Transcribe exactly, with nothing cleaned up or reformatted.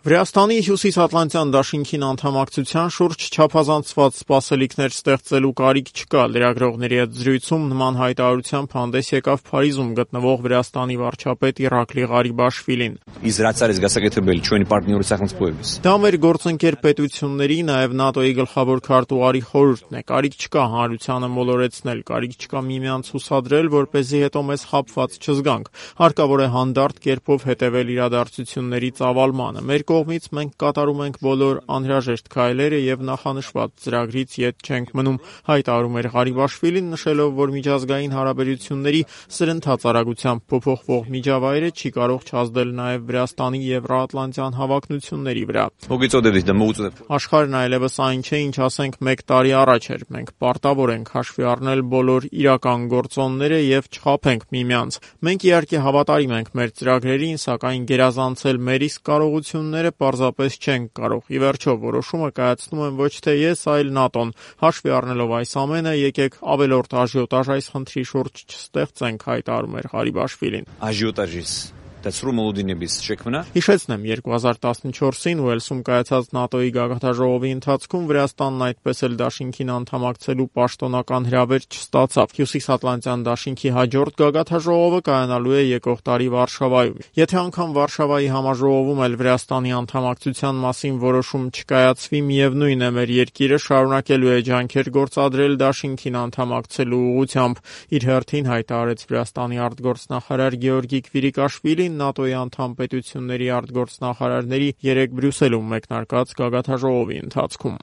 Վրաստանի հյուսիսատլանտյան դաշինքին անդամակցության շուրջ չափազանցված սպասելիքներ ստեղծելու կարիք չկա։ Լրագրողների հետ զրույցում նման հայտարարությամբ հանդես եկավ Փարիզում գտնվող Վրաստանի վարչապետ Իրակլի Ղարիբաշվիլին։ Դա մեր գործընկեր պետությունների, նաև ՆԱՏՕ-ի գլխավոր քարտուղարի խորհուրդն է։ Կարիք չկա հանրությանը մոլորեցնել, կարիք չկա միմյանց հուսադրել, որպեսզի հետո մեզ խաբված չզգանք։ Հարկավոր է հանդարտ կերպով հետևել իրադարձությունների ծավալմանը։ Մեր կողմից մենք կատարում ենք բոլոր անհրաժեշտ քայլերը եւ նախանշված ծրագրից ետ չենք մնում, հայտարարում էր Ղարիբաշվիլին, նշելով, որ միջազգային հարաբերությունների սրընթաց արագությամբ փոփոխվող միջավայրը չի կարող չազդել նաեւ Վրաստանի եվրոատլանտյան հավակնությունների վրա։ Աշխարհն այլևս այն չէ, ինչ ասենք մեկ տարի առաջ էր։ Մենք պարտավոր ենք հաշվի առնել բոլոր իրական գործոնները եւ չխաբենք միմյանց։ Մենք իհարկե հավատարիմ ենք մեր ծրագրերին, սակայն գերազանցել մեր իսկ կարողությունները պարզապես չենք կարող։ Ի վերջո, որոշումը կայացնում եմ ոչ թե ես, այլ ՆԱՏՕ-ն։ Հաշվի առնելով այս ամենը, եկեք ավելորդ աժիոտաժ այս խնդրի շուրջ չստեղծենք, հայտարարում էր Ղարիբաշվիլին։ Հիշեցնեմ, երկու հազար տասնչորսին Ուելսում կայացած ՆԱՏՕ-ի գագաթնաժողովի ընթացքում Վրաստանն այդպես էլ դաշինքին անդամակցելու պաշտոնական հրավեր չստացավ։ Հյուսիսատլանտյան դաշինքի հաջորդ գագաթնաժողովը կայանալու է եկող տարի Վարշավայում։ Եթե անգամ Վարշավայի համաժողովում էլ Վրաստանի անդամակցության մասին որոշում չկայացվի, միևնույն է, մեր երկիրը շարունակելու է ջանքեր գործադրել դաշինքին անդամակցելու ուղղությամբ։ Իր հերթին հայտարարեց Վրաստանի արտգործնախարար Գեորգի Քվիրիկաշվիլին ՆԱՏՕ-ի անդամ պետությունների արտգործնախարարների երեկ Բրյուսելում մեկնարկած գագաթնաժողովի ընթացքում։